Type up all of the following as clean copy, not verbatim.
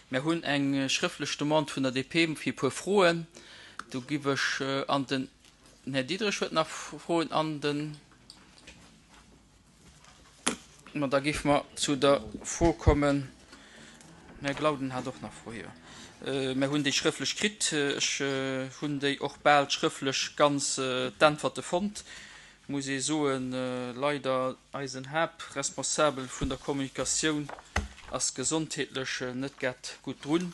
Mär hunn eng schrëftlech Demande vun der DP fir e puer Froen. Do giff ech an den Här Diderich huet nach Froen an den. Ma da géife mer zu der Fro kommen. Den Här Glauden hat och nach Froe, jo. Mer hunn déi schrëftlech kritt. Ech hunn déi och bal schrëftlech ganz d'Äntwerte fonnt, muss ee soen. Leider, eisen Haaptresponsabel vun der Kommunikatioun ass gesondheetlech net grad gutt drun.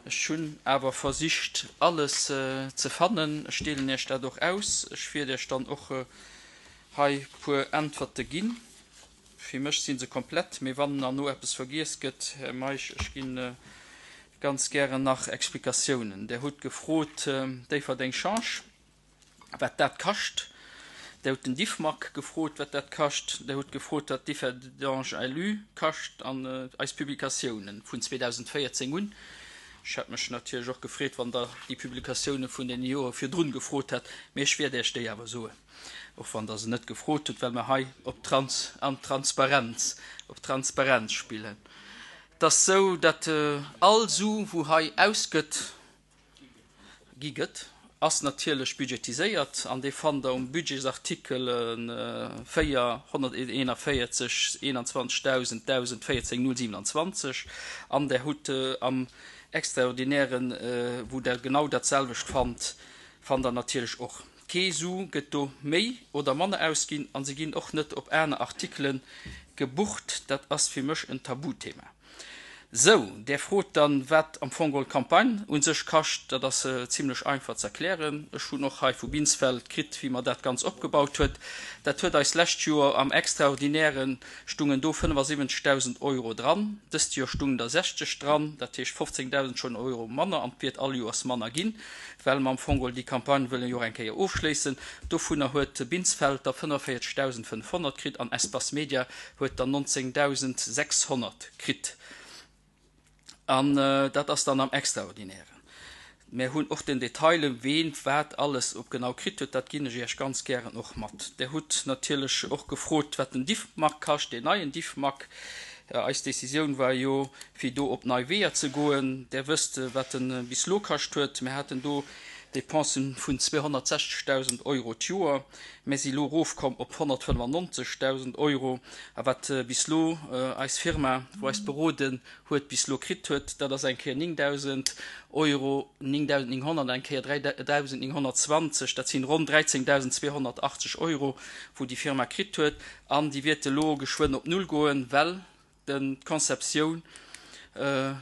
Ech hunn awer versicht, alles ze fannen. Ech deelen Iech dat och aus. Ech wiert Iech dann och Hei puer Äntwerte ginn. Fir mech si se komplett, mee wann erno eppes vergiess gëtt, Här Meisch, ech gi ganz gären nach Explikatiounen. Der hutt gefrot, Déifferdeng Change, wat dat kascht. Der hutt den Diffmag gefrot, wat dat kascht. Der hutt gefrot, wat Differdange LU kascht an eis Publikatiounen vun 2014 un. Ech hätt mech natierlech och gefreet, wann Der déi Publikatiounen vun deene Jore virdrun gefrot hätt, mee ech wäert Iech déi awer soen. och wann Der se net gefrot hutt, well mer hei op Trans an Transparenz, op Transparenz spillen. Et ass esou, datt all Su, wou hei ausgëtt, gi gëtt, ass natierlech budgetiséiert an dee fannt Der um Budgetsartikel 4, 141 21.000 1014 027 an Der hutt am Extraordinären, wou Der genau datselwecht fannt, fannt Der natierlech och. Kee Su gëtt do méi oder manner ausginn an se ginn och net op aner Artikele gebucht. Dat ass fir mech en Tabuthema. Sou, där frot dann, wat am Fong geholl d'Campagne u sech kascht. Dat ass zimlech einfach ze erklären. Ech hunn och hei vu Binsfeld kritt, wéi mer dat Ganz opgebaut huet. Dat huet eis lescht Joer am Extraordinären stungen do 75.000 Euro dran, dëst Joer stungen der 60 dran, dat heescht 15.000 schonn Euro manner an et wäert all Joers manner ginn. well mer am Fong geholl déi Campagne wëllen jo och eng Kéier ofschléissen. Dovunner huet Binsfeld der 45.500 kritt an Espace Media huet der 19.600 kritt. An dat ass dann am Extraordinären. Mär hunn och den Detail, ween wat alles op genau kritt huet, dat ginn ech Iech ganz gären och mat. Der hutt natierlech och gefrot, wat den Diffmag kascht, deen neien Diffmag. Eis Décisioun war jo, fir do op nei Weeër ze goen. Der wësst, wat en bis elo kascht huet. Mir haten do Dépensen vun 260.000 Euro d'Joer. Mir si elo erofkomm op 195.000 Euro. A wat bis elo eis Firma, wou eis beroden huet, bis elo kritt huet, dat ass eng Kéier 9.000 Euro, 9.900, eng Kéier 3.920. Dat sinn ronn 13.280 Euro, wou déi Firma kritt huet. An déi wäert elo geschwënn op Null goen, well den d'Conceptioun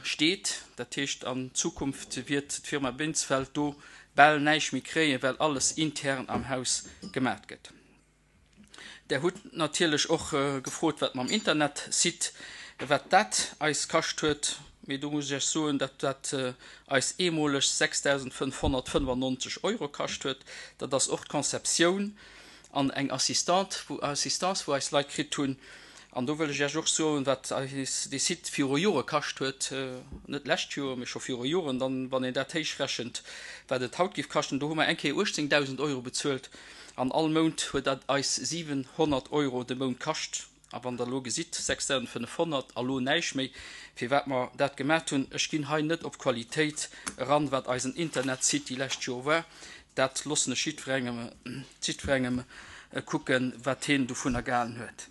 steet. Dat heescht, an Zukunft wiert d'Firma Binsfeld do bal näischt méi kréien, well alles intern am Haus gemat gëtt. Der hutt natierlech och gefrot, wat mam Internetsite, wat dat eis kascht huet. Mee do muss ech Iech soen, datt dat eis eemoleg 6.595 Euro kascht huet. Dat ass och d'Conceptioun an eng Assistante, wou Assistance, wou eis Leit kritt hunn. An do wëll ech Iech och soen, wat eis dee Site viru Jore kascht huet, net d'lescht Joer, mee scho viru Joren, dann, wann een dat héichrechent, wat et haut géif kaschten, do hu mer eng Kéier 18.000 Euro bezuelt an all Mount huet dat eis 700 Euro de Mount kascht. A wann Der elo gesitt, 6.500 a lo näischt méi, firwat mer dat gemat hunn, ech ginn hei net op d'Qualitéit eran, wat eisen Internetsite déi lescht Jore war, dat loossen ech jiddwerengem, jiddwerengem kucken, wat hien dovunner gehalen huet.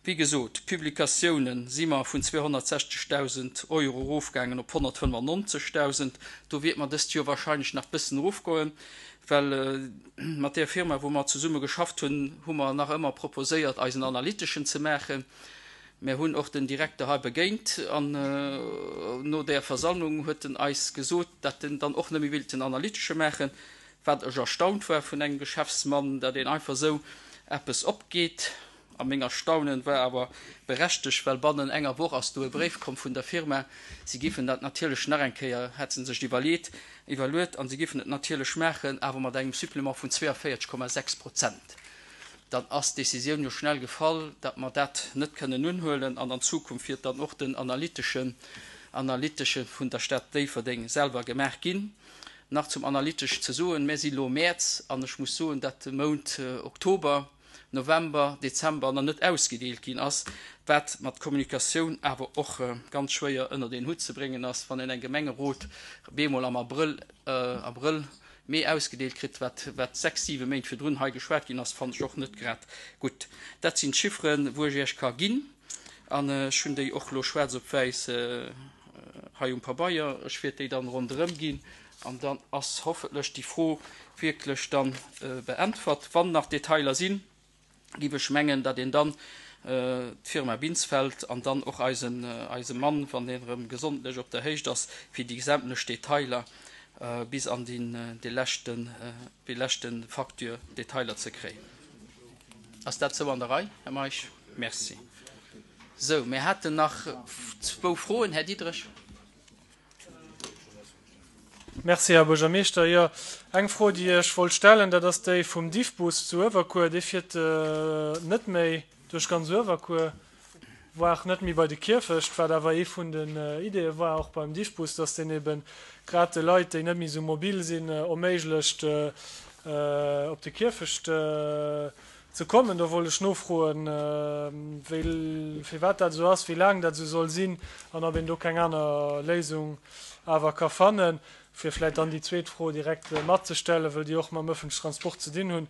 Wéi gesot, d'Publikatiounen si mer vun 260.000 Euro erofgaangen op 195.000. Do wäert mer dëst Joer wahrscheinlech nach bëssen erofgoen, well mat där Firma, wou mer zesumme geschafft hunn, hu mer nach ëmmer proposéiert, eisen Analyteschen ze maachen. Mer hunn och den Direkter hei begéint an no där Versammlung huet en eis gesot, datt en dann och net méi wéilt den Analytesche maachen, wat ech erstaunt war vun engem Geschäftsmann, datt een einfach esou eppes opgeet. A meng Erstaunen war awer berechtegt, well bannen enger Woch ass do e Bréif komm vun der Firma, si giffen dat natierlech nach eng Kéier, hätt se sech iwwerleet, iwwerluet, an si giffen et natierlech maachen, awer mat engem Supplément vun 42,6 Prozent. Dann ass d'Décisioun jo schnell gefall, datt mer dat net kënnen unhuelen, an an Zukunft wiert dann och den analyteschen, analytesche vun der Stad Déifferdeng selwer gemaach ginn. Nach zum Analytesch ze soen, Mir si lo Mäerz, an ech muss soen, datt de Mount Oktober. November, Dezember nach net ausgedeelt ginn ass, wat mat Kommunikatioun awer och ganz schwéier ënnert een Hutt ze bréngen ass, wann een eng Gemengerot bemol am Abrëll, Abrëll, Mee ausgedeelt kritt, wat wat 6, 7 Méint virdrun hei geschwat ginn ass, fannen ech och net grad gutt. Dat sinn d'Chifferen, wou ech Iech ka ginn, an ech hunn déi och elo schwaarz op wäiss hei um Pabeier. Ech wäert déi dann ronderëm ginn an dann ass hoffentlech déi Fro wierklech dann beäntwert. Wann nach Detailer sinn, giff ech mengen, datt een dann d'Firma Binsfeld an dann och eisen eise Mann, wann deen erëm gesondlech op der Héicht ass, fir déi sämtlech Detailer bis an deen dee leschten déi leschte Facture Detailer ze kréien. Ass dat sou an der Rei, Här Meisch? Merci. Sou, mir haten nach zwou Froen. Här Diderich. Merci, Här Buergermeeschter. Jo, eng Fro, déi ech wollt stellen, dat ass déi vum Diffbus zu Uewerkuer. Dee fiert net méi duerch ganz Uewerkuer, voire net méi bei de Kierfecht, wat awer ee vun den Ideeë war och beim Diffbus, dass deen ebe grad de Leit, déi net méi esou mobil sinn, erméiglecht, op de Kierfecht ze kommen. Do wollt ech nofroen, wéi, firwat dat esou ass, wéi laang dat esou soll sinn an ob een do keng aner Léisung awer ka fannen. Fir vläicht dann déi zweet Fro direkt matzestellen, wëll déi och mam ëffentlechen Transport ze dinn hunn.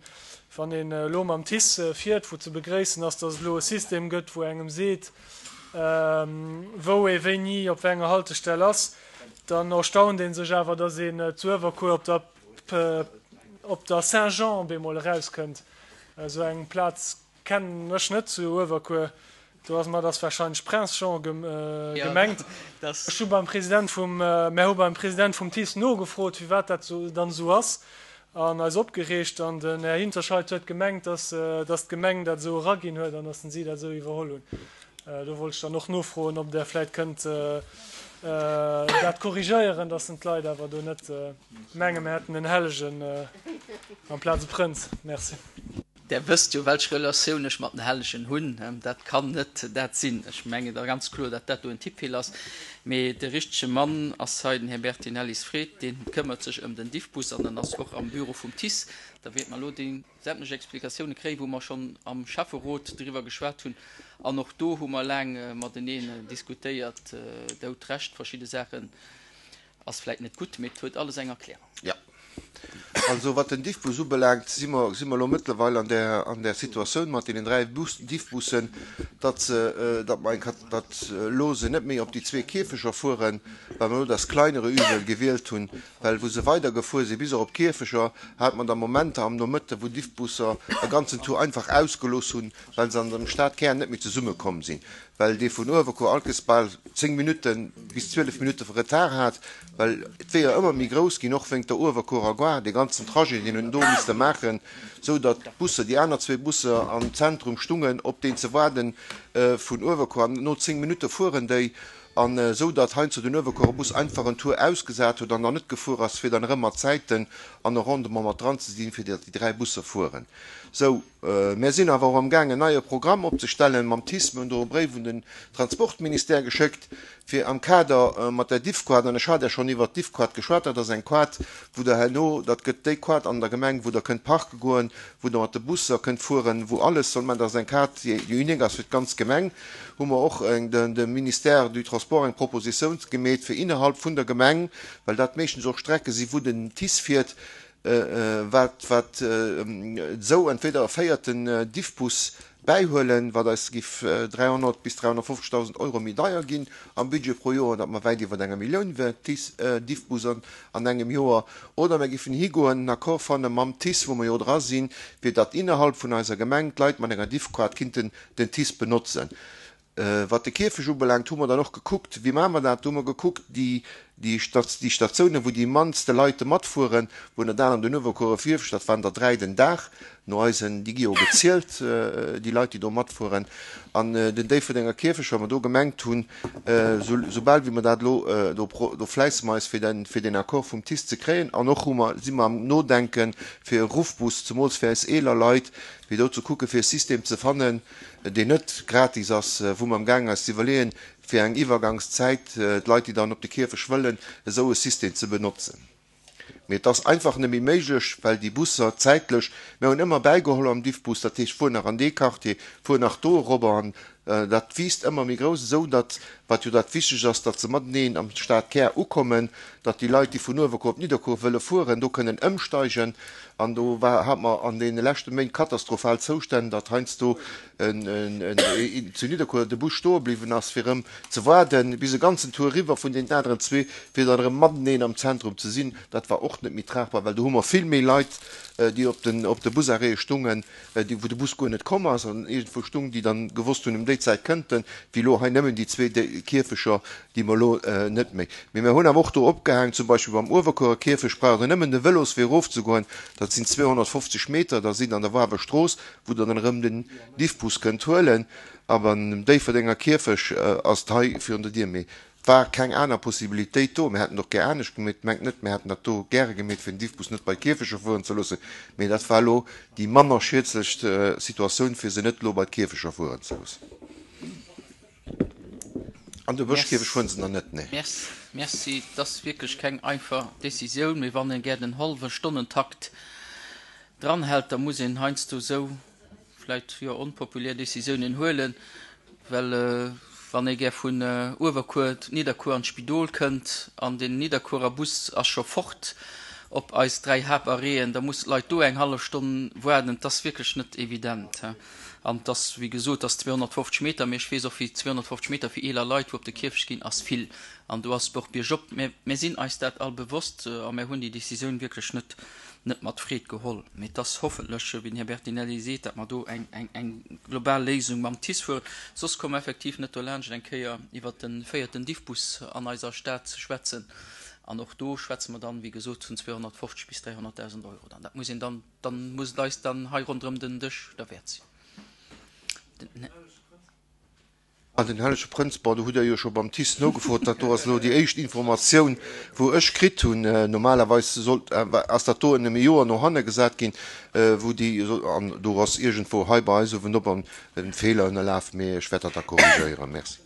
Wann een elo mam TICE fiert, wou ze begréissen ass, datt et elo e System gëtt, wou engem seet, wou ee wéini op wéi enger Haltestell ass, dann erstaunt ee sech awer, datt een zu Uewerkuer op der op der Saint-Jean bemol erauskënnt. Esou eng Plaz kennen ech net zu Uewerkuer. Do ass mat ass warscheinlech Prince Jean gemengt. Ech hu beim President vum, mär hu beim President vum TICE nogefrot, firwat dat dann esou ass, an eis opgereegt. An den Här Hinterscheid huet gemengt, dass dass d'Gemeng dat esou eraginn huet an dass si dat esou iwwerholl hunn. Do wollt ech dann och nofroen, ob Der vläicht kënnt dat korrigéieren, dass d'Leit awer do net Menge mir hätten en Hellegen amplaz e Prënz. Merci. Der wësst jo, welch Relatioun ech mat den Hellegen hunn. Dat kann net dat sinn. Ech mengen da ganz kloer, datt dat do en Tippfeeler ass. Mee de richtege Mann ass hei den Här Bertinelli Fred. Dee këmmert sech ëm den Diffbus an en ass och am Büro vum TICE. Da wäerte mer elo déi sämtlech Explikatioune kréien, wou mer schonn am Schäfferot driwwer geschwat hunn. An och do hu mer laang mateneen diskutéiert. Der hutt Recht, verschidde Saachen Ass vläit net gutt, mee et huet alles eng Erklärung. Jo. Also wat den Diffbus ubelaangt, si mer, si mer elo mëttlerweil an där, an där Situatioun mat deenen 3 Bus, Diffbussen, datt se, datt mer eng, datt elo se net méi op déi zwee Kierfecher fueren, well mer elo das kleinere Übel gewielt hunn, well wou se weidergefuer si bis och op d'Kierfecher, hat mer da Momenter am Nomëtte wou Diffbusser e ganzen Tour einfach ausgelooss hunn, well se an dem Stadkär net méi zesummekomm sinn. well dee vun Uewerkuer alkes bal 10 Minutten bis 12 Minutte Retard hat, well d'Weeër ëmmer méi grouss ginn, och wéingt der Uewerkuerer Gare, dee ganzen Trajet, deen en do misste maachen, sou datt d'Busser, déi aner zwee Busser am Zentrum stungen, op deen ze waarden vun Uewerkuer, an no 10 Minutte fueren déi, an esou datt heiansdo den Uewerkuerer Bus einfach en Tour ausgesat huet an dann net gefuer ass, fir dann erëm mat Zäiten an e Rendement mat dran ze sinn, fir datt déi 3 Busser fueren. Sou. Mär sinn awer och amgaang en neie Programm opzestellen mam TICE. Mir hunn do e Bréif un den Transportministère geschéckt, fir am Kader mat der Diffquad, an ech hat ja schonn iwwert d'Diffquad geschwat, dat ass eng Quad, wou Der herno, dat gëtt déi Quad an der Gemeng, wou Der kënnt parke goen, wou Der mat de Busser kënnt fueren, wou alles soll man, dat ass eng Quad, déi unique ass fir d'ganz Gemeng, hu mer och dem Ministère du Transport eng Propositioun gemeet, fir innerhalb vun der Gemeng, well dat meeschtens och Strecke si wou den TICE fiert, wat wat esou entweder e véierten Diffbus bäihuelen, wat eis giff 300 bis 350.000 Euro méi deier ginn am Budget pro Joer, datt mer wäit iwwer enger Millioun wär Diffbus an engem Joer, oder mer giffen higoen, en Accord fanne mam TICE, wou mer jo dra sinn, fir datt innerhalb vun eiser Gemeng d'Leit mat enger Diffquart kinnten den TICE benotzen. Wat de Kierfech ubelaangt, hu mer dann och gekuckt, wéi maache mer dat? Do hu mer gekuckt, déi, déi Statiounen, wou déi mannste Leite matfueren, wou ënnert anerem den Uewerkuerer Kierfech, dat waren der 3 den Dag no eisen, déi gi jo gezielt, déi Leit, déi do matfueren, an den Déifferdenger Kierfech, well mer do gemengt hunn, soubal wéi mer dat elo, do, do fläisse mer eis, fir den, fir deen Accord vum TICE ze kréien. An och hu mer, si mer am Nodenken, fir e Ruffbus, zemools fir eis eeler Leit, fir do ze kucken, fir e System ze fannen, deen net gratis ass, wou mer amgaangen eis ze iwwerleeën, fir eng Iwwergangszäit d'Leit, déi dann op de Kierfech wëllen, esou e System ze benotzen. Mee et ass einfach net méi méiglech, well déi Busser zäitlech, mir hunn ëmmer bäigeholl am Diffbus, dat heescht, fuer nach an dee Quartier, fuer nach do erobber an dat wiisst ëmmer méi grouss, esou datt, wat jo dat Wichtegst ass, datt se mateneen am Stadkär ukommen, datt déi Leit, déi vun Uewerkuer op Nidderkuer wëlle fueren, do kënnen ëmsteigen. An do war, hat mer an deene leschte Méint katastrophal Zoustänn, datt heiansdo zu Nidderkuer de Bus stoe bliwwen ass, fir erëm ze waarden, bis e ganzen Tour eriwwer vun deenen aneren zwee, fir dann erëm mateneen am Zentrum ze sinn. Dat war och net méi tragbar, well do hu mer vill méi Leit, déi op den, op de Busarrêtë stungen, déi, wou de Bus guer net komm ass an iergendwou stung, déi dann gewosst hunn, ëm déi Zäit kënnt en, wéi elo hei nëmmen déi zwee Kierfecher, déi mer elo net méi. Mee mer hunn awer och do opgehaangen, zum Beispill beim Uewerkuerer Kierfecht braucht Der nëmmen de Vëloswee erofzegoen, dat sinn 250 Meter, da sidd Der an der Wawer Strooss, wou Der dann erëm den Diffbus kënnt huelen. A beim Déifferdenger Kierfech ass et hei virun der Dier. Mee et war keng aner Possibilitéit do. Mir hätten et och gär anescht gemeet. Mengt net, mir hätten dat do gäre gemeet, fir den Diffbus net bei d'Kierfecher fueren ze loossen. Mee dat war elo déi manner schiedlechst Situatioun, fir se net elo bei d'Kierfecher fueren ze loossen. An de Bëschkierfecht fueren se nach net, nee. Merci. Et ass wierklech keng einfach Décisioun, mee wann ee gär den hallwe Stonnentakt dranhält, da muss een heiansdo esou vläicht, jo, onpopulär Décisiounen huelen, well wann ee gär vun Uewerkuer, Nidderkuer an d'Spidol kënnt an den Nidderkuerer Bus ass scho fort op eis 3 Haaptarrêten, da mussen d'Leit do eng hallef Stonn waarden. Et ass wierklech net evident. An et ass, wéi gesot, et ass 250 Meter, mee ech weess och, wéi 250 Meter fir eeler Leit, wou op de Kierfecht ginn, ass vill. An do ass et och biergop. Mä mir sinn eis dat all bewosst a mir hunn déi Décisioun wierklech net, net mat Freed geholl. Mee et ass hoffentlech, wéi den Här Bertinelli seet, datt mer do eng, eng, eng global Léisung mam TICE fueren. Soss komme mer effektiv net dolaanscht, eng Kéier iwwert de véierten Diffbus an eiser Stad ze schwätzen. An och do schwätze mer dann, wéi gesot, vun 250 bis 300.000 Euro dann. Dat muss een dann Dann muss et eis dann hei ronderëm den Dësch derwäert sinn. Den. An den Hellege Prënz, bon, do hutt Der jo scho beim TICE nogefrot, dat do ass elo déi éischt Informatioun, wou ech kritt hunn. Normalerweis sollt, ass dat do ëm e Joer no hanne gesat ginn, wou déi, an do ass iergendwou hei bei eis uewenop en Feeler ënnerlaf, mee ech wäert dat da korrigéieren. Merci.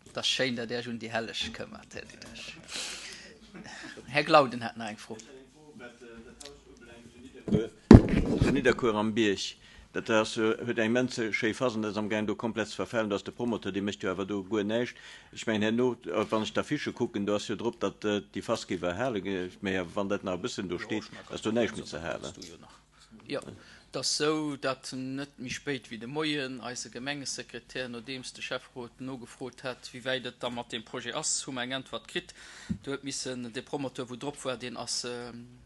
Et ass schéin, datt Dir Iech un déi Helleg këmmert, Här Diderich. Här Glauden hat nach eng Fro. Zu Nidderkuer am Bierg, dat ass, huet eng immens schéi Phas an dat ass amgaang do komplett ze verfalen. Do ass de Promoteur, dee mécht jo awer do guer näischt. Ech mengen herno, wann ech d'Affichë kucken, do ass jo drop, datt déi Phas géif erhale ginn. Mä wann dat nach e bëssen do steet, ass do näischt méi ze halen. Jo, et ass sou, datt net méi spéit wéi de Moien eise Gemengesekretär, nodeems de Schäfferot nogefrot hat, wéi wäit et da mat deem Projet ass, hu mer eng Äntwert kritt. Do huet missen dee Promoteur, wou drop war, deen ass,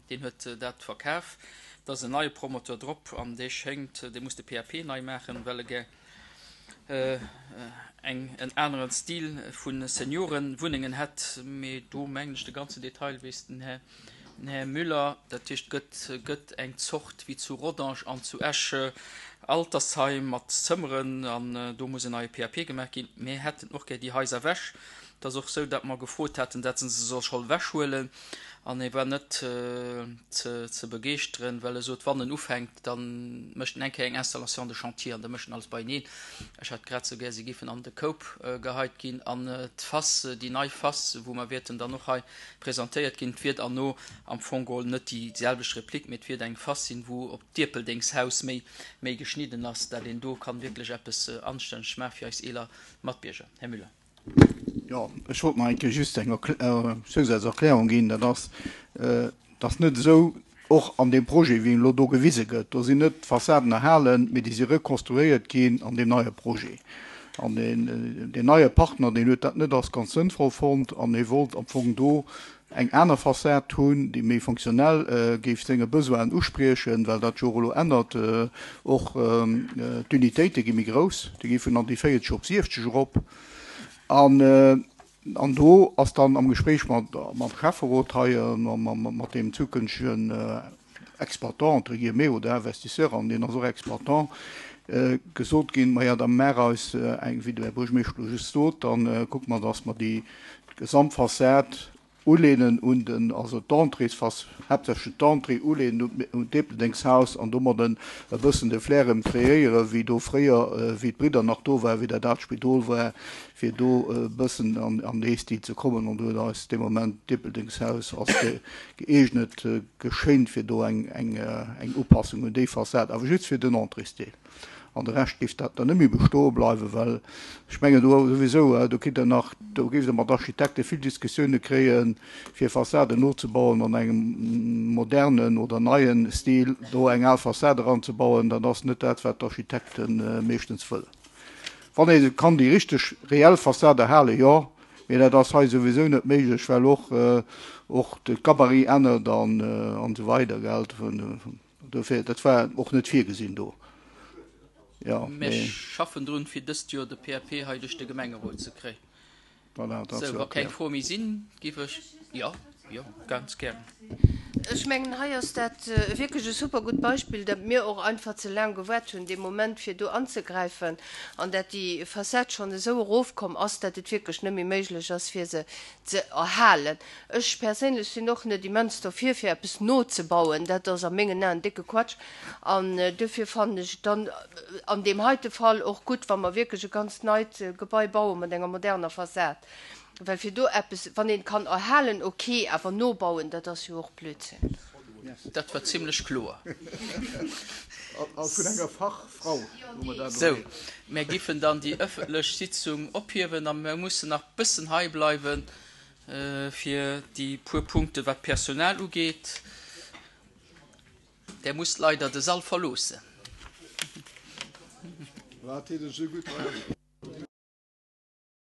deen huet dat verkaf. Et ass en neie Promoteur drop an dee schéngt, dee muss de PAP nei maachen, well e gär eng, en aneren Stil vu Seniorenwunnengen hätt. Mee do mengen ech, de ganzen Detail weess den Här Den Här Müller, Dat heescht, gëtt gëtt eng Zort wéi zu Rodange an zu Esch Altersheim mat Zëmmeren an do muss en neie PAP gemaach ginn. Mir hätten och gär déi Haiser ewech. Et ass och esou, datt mer gefrot haten, datt se se soll scholl ewechhuelen an e war net ze ze begeeschteren, well e sot, wann en ufänkt, da mécht en eng Kéier eng Installation de chantier an da mécht en alles beieneen. Ech hätt grad esou gär, se géifen an de Koup geheit ginn an d'Fass, déi nei Fass, wou mer wäerten dann och hei presentéiert ginn. Et wier dann no am Fong geholl net déi selwecht Replik, mee et wier eng Fass sinn, wou op d'Ierpeldengshaus méi méi geschnidden ass, dat een do kann wierklech eppes Anstänneges maache fir eis eeler Matbierger. Här Müller. Jo, ech wollt nach eng Kéier just eng Zousazerklärung ginn. Dat ass, et ass net esou, och an deem Projet, wéi en elo do gewise gëtt, do sinn net d'Fassaden erhalen, mee déi si rekonstruéiert ginn an deem neie Projet. An deen, deen neie Partner, deen huet dat net als ganz sënnvoll fonnt an hie wollt am Fong do eng aner Fassad hunn, déi méi fonctionnel géif senge Besoinen uspriechen, well dat jo och elo ännert, och d'Unitéite gi méi grouss, déi gi vun an déi 40 op 70 erop. An An do ass dann am Gespréich mat mam Schäfferot hei, mat deem zukünftegen Exploitant, entre guillemets, oder Investisseur, an deen ass och Exploitant, gesot ginn, Maja, da maach eis eng, wéi de Här Buergermeeschter elo just sot, da kucke mer, dass mer déi Gesamtfassad. Uleenen un den, also d'Entréesfass, haaptsächlech d'Entrée uleenen un d'Ierpeldengshaus an domadden e bëssen de Flair erëm kreéieren, wéi do fréier, wéi d'Bridder nach do waren, wéi dat aalt Spidol war, fir do e bëssen an dee Stil ze kommen. An do huet eis dee Moment d'Ierpeldengshaus als gëeegnet geschéint, fir do eng Upassung un déi Fassad, awer just fir den Entréesdeel. An de Rescht géif dat dann net méi bestoe bleiwen, well ech mengen do souwisou, do kritt Der nach, do géift Der mat Architekte vill Diskussioune kréien, fir Fassaden nozebauen an engem modernen oder neien Stil, do eng al Fassad eranzebauen, dat ass net dat, wat d'Architekte meeschtens wëllen. Wann ee kann déi richteg reell Fassad erhalen, jo, mee dat ass hei souwisou net méiglech, well och och de Gabarit ännert an esou weider, gell. Dofir, dat war och net virgesinn do. Jo, Mir mee. schaffen drun, fir dëst Joer de PAP hei duerch de Gemengerot ze kréien. Voilà, dat ass Sou, jo wa keng erkläert. Froe méi sinn, géif ech. Jo, jo, ganz gären. Ech mengen, hei ass dat wierklech e super gutt Beispill, dat mir och einfach ze laang gewaart hunn dee Moment, fir do anzegräifen, an dat déi Fassad schonn esou erofkomm ass, dat et wierklech net méi méiglech ass, fir se ze erhalen. Ech perséinlech sinn och net immens dofir, fir eppes nozebauen. Dat ass a mengen Aen décke Quatsch. An duerfir fannen ech et dann an deem heite Fall och gutt, wa mer wierklech e ganz neit Gebai baue mat enger moderner Fassad. Well fir do eppes, wann een et kann erhalen, ok, awer nobauen, dat ass jo och Blödsinn. Dat war zimlech kloer. A vun enger Fachfrau hu mer dat elo Sou, héieren. mär giffen dann déi ëffentlech Sitzung ophiewen a mär mussen nach bëssen hei bleiwen fir déi puer Punkte wat d'Personal ugeet. Där musst leider de Sall verloossen. Wat heet esou gutt hei?